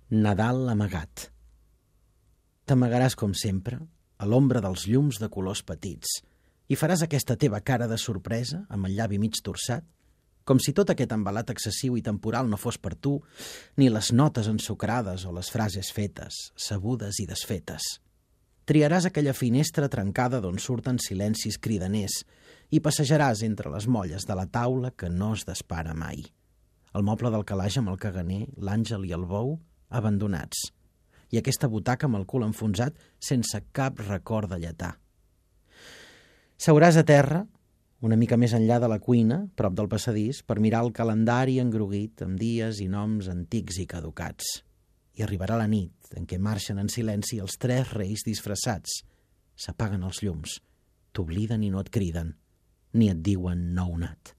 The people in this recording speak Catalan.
Nadal amagat. T'amagaràs com sempre, a l'ombra dels llums de colors petits, i faràs aquesta teva cara de sorpresa, amb el llavi mig torçat, com si tot aquest embalat excessiu i temporal no fos per tu, ni les notes ensucrades o les frases fetes, sabudes i desfetes. Triaràs aquella finestra trencada d'on surten silencis cridaners i passejaràs entre les molles de la taula que no es despara mai. El moble del calaix amb el caganer, l'àngel i el bou, abandonats, i aquesta butaca amb el cul enfonsat sense cap record de lletà. Seuràs a terra, una mica més enllà de la cuina, prop del passadís, per mirar el calendari engruguit amb dies i noms antics i caducats. I arribarà la nit en què marxen en silenci els 3 reis disfressats. S'apaguen els llums, t'obliden i no et criden, ni et diuen nounat.